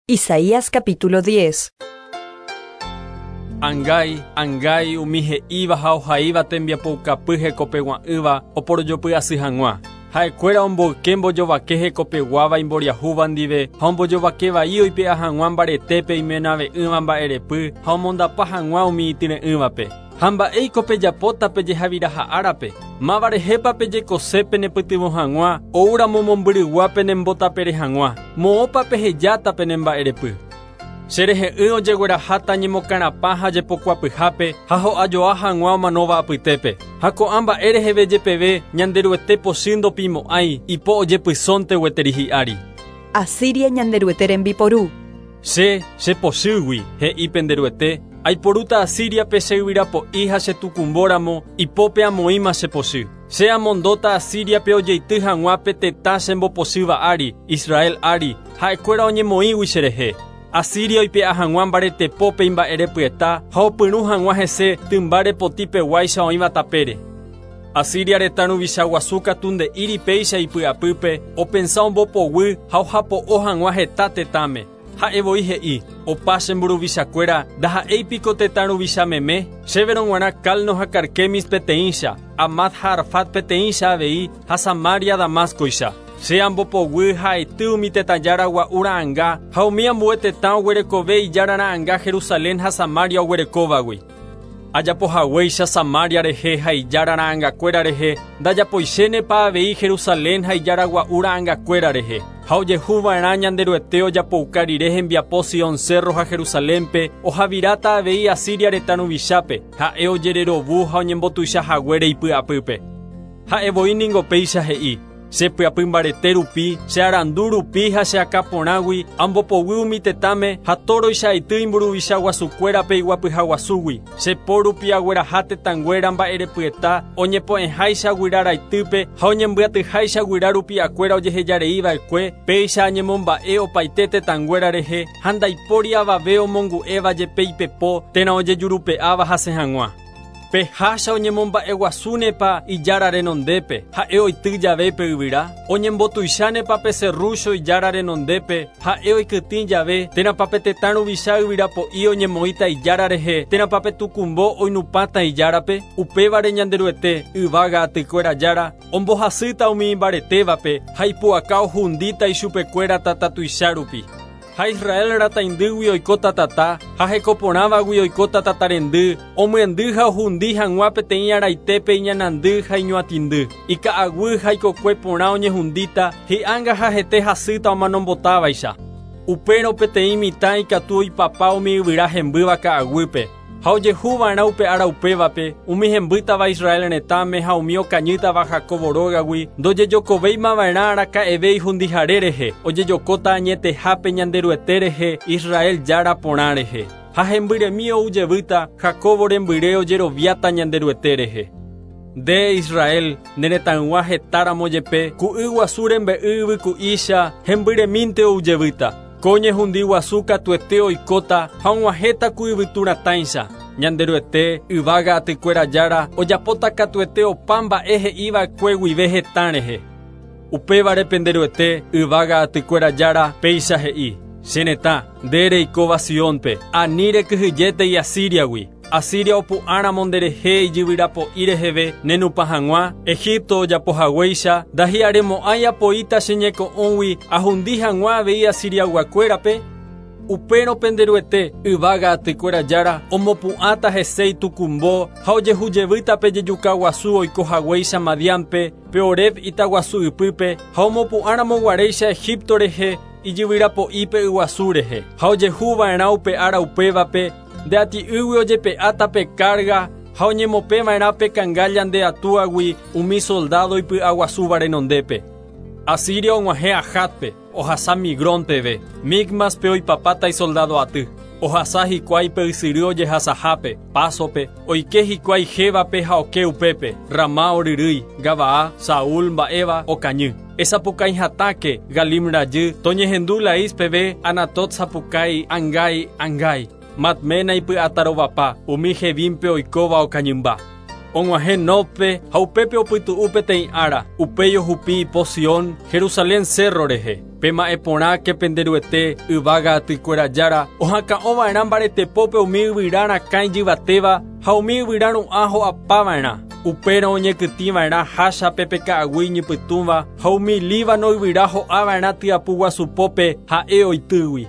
Isaías capítulo 10. Angái, angái umi he'íva ha ohaíva tembiapoukapy hekopegua'ỹva oporojopy asy hag̃ua. Ha'ekuéra omboyke mbojovake hekopeguáva imboriahúva ndive ha ombojovake vai oipe'a hag̃ua mbaretépe imenave'ỹva mba'erepy ha omondapa hag̃ua umi ityre'ỹvape. Ha mba'éiko pejapóta pejehaviraha árape? Máva rehépa pejekose penepytyvõ hag̃ua oúramo mombyrygua penembotapere hag̃ua? Moõpa pehejáta penemba'erepy? Cherehe'ỹ ojegueraháta ñemokarapã ha jepokuapyhápe ha ho'ajoa hag̃ua omanóva apytépe. Ha ko'ã mba'e reheve jepeve Ñanderuete pochy ndopimo'ãi ipo ojepysónte gueteri hi'ári. Asiria Ñanderuete rembiporu. Che, che pochýgui, he'i pende Ruete, aiporúta Asíriape che yvyrapo'i ha che tukumbóramo, ipópe amoĩma che pochy. Che amondóta Asíriape ojeity hag̃ua pe tetã chembopochýva ári, Israel ári, ha'ekuéra oñemoĩgui cherehe. Asiria oipe'a hag̃ua mbaretepópe imba'erepyeta ha opyrũ hag̃ua hese tymba repoti peguáicha oĩva tapére. Asiria retã ruvicha guasu katu nde'íri péicha ipy'apýpe, opensa ombopoguy ha ohapo'o hag̃ua heta tetãme. Ha'e voi he'i, Opa che mburuvichakuéra, ndaha'éi piko tetã ruvicha meme? Chéverõ g̃uarã Calno ha Carquemis peteĩcha, Hamat ha Arfad peteĩcha avei, ha Samaria Damáscoicha. Che ambopoguy ha aity umi tetã jára gua'u ra'ãnga ha umi ambue tetã oguerekove ijára ra'ãnga Jerusalén ha Samaria oguerekóvagui. Ajapo haguéicha Samaria rehe ha ijára ra'ãngakuéra rehe, ndajapoichénepa avei Jerusalén ha ijára gua'u ra'ãngakuéra rehe? Ha ojehu va'erã Ñanderuete ojapouka rire hembiapo Sion cérro ha Jerusalénpe, ohaviráta avei Asiria retã ruvichápe, ha'e ojererovu ha oñembotuicha haguére ipy'apýpe. Ha'e voi ningo péicha he'i, Che pyapy mbarete rupi, che arandu rupi ha che akã porãgui, ambopoguy umi tetãme ha tóroicha aity imburuvicha guasukuérape iguapyha guasúgui. Che po rupi agueraha tetãnguéra mba'erepyeta oñepo'ẽháicha guyra raitýpe ha oñembyatyháicha guyra rupi'akuéra ojehejarei va'ekue, péicha añemomba'e opaite tetãnguéra rehe ha ndaipóri avave omongu'éva jepe ipepo térã ojejurupe'áva hasẽ hag̃ua. Pe hácha oñemomba'eguasúnepa Ijára renondépe, ha'e oity jave pe yvyra? Oñembotuichánepa pe serrúcho Ijára renondépe, ha'e oikytĩ jave, térãpa pe tetã ruvicha yvyra po'i oñemoĩta Ijára rehe, térãpa pe tukumbo oinupãta Ijárape? Upévare Ñanderuete, yvága atykuéra Jára, ombohasýta umi imbaretévape ha ipu'aka ohundíta ichupekuéra tata tuicha rupi. Ha Israel rataindýgui oikóta tata, ha heko porãvagui oikóta tata rendy, omyendy ha ohundi hag̃ua peteĩ araitépe iñanandy ha iñuatĩndy. Ika'aguy ha ikokue porã oñehundíta, hi'ánga ha hete hasýta omanombotávaicha. Upérõ peteĩ mitã ikatu oipapa umi yvyra hembýva ka'aguýpe. Ha ojehu va'erã upe ára upévape, umi hembýtava Israel retãme ha umi okañýtava Jacobo rógagui, ndojejokovéima va'erã araka'eve ihundihare rehe, ojejokóta añetehápe Ñanderuete rehe, Israel Jára porã rehe. Ha hembyremi ou jevýta, Jacobo rembyre ojeroviáta Ñanderuete rehe. Nde, Israel, ne retãygua heta ramo jepe, ku yguasu rembe'y yvyku'ícha, hembyremínte ou jevýta. Ko ñehundi guasu katuete oikóta ha og̃uahẽta ku yvytu ratãicha. Ñanderuete, yvága atykuéra Jára, ojapóta katuete opa mba'e he'i va'ekue guive hetã rehe. Upévare pende Ruete, yvága atykuéra Jára, péicha he'i, Che retã, nde reikóva Siónpe, ani rekyhyjétei Asíriagui. Asiria opu'ãramo nderehe ijyvyrapo'i reheve nenupã hag̃ua, Egipto ojapo haguéicha, ndahi'aremo'ãi apoíta che ñeko'õgui ahundi hag̃ua avei Asiriayguakuérape. Upérõ pende Ruete, yvága atykuéra Jára, omopu'ãta hese itukumbo ha ojehu jevýta pe jejuka guasu oiko haguéicha Madiánpe, pe Oreb itaguasu ypýpe, ha omopu'ãramo guaréicha Egipto rehe ijyvyrapo'i pe yguasu rehe. Ha ojehu va'erã upe ára upévape, Nde ati'ýgui ojepe'áta pe kárga ha oñemopẽ va'erã pe kangálla nde atúagui umi soldádo ipy'aguasúva renondépe. Asiria og̃uahẽ Ajátpe, ohasa Migrón peve, Micmáspe oipapáta isoldádo aty. Ohasa hikuái pe ysyry ojehasahápe, Pásope, oike hikuái Gébape ha oke upépe, Ramá oryrýi, Gabaá, Saúl mba'éva, okañy. Esapukái hatãke, Galim rajy, toñehendu Laís peve, Anatot sapukái, Angái, angái. Madmena ipy'atarovapa, umi Gebímpe oikóva okañymba. Og̃uahẽ Nóbpe ha upépe opytu'u peteĩ ára. Upéi ohupi ipo Sion, Jerusalén cérro rehe. Pema'ẽ porãke pende Ruete, yvága atykuéra Jára, ohakã'ova'erã mbaretepópe umi yvyra rakã ijyvatéva ha umi yvyra ru'ã ho'apava'erã. Upérõ oñekytĩva'erã háchape pe ka'aguy iñypytũva ha umi Líbano yvyra ho'ava'erã tyapu guasupópe ha'e oitýgui.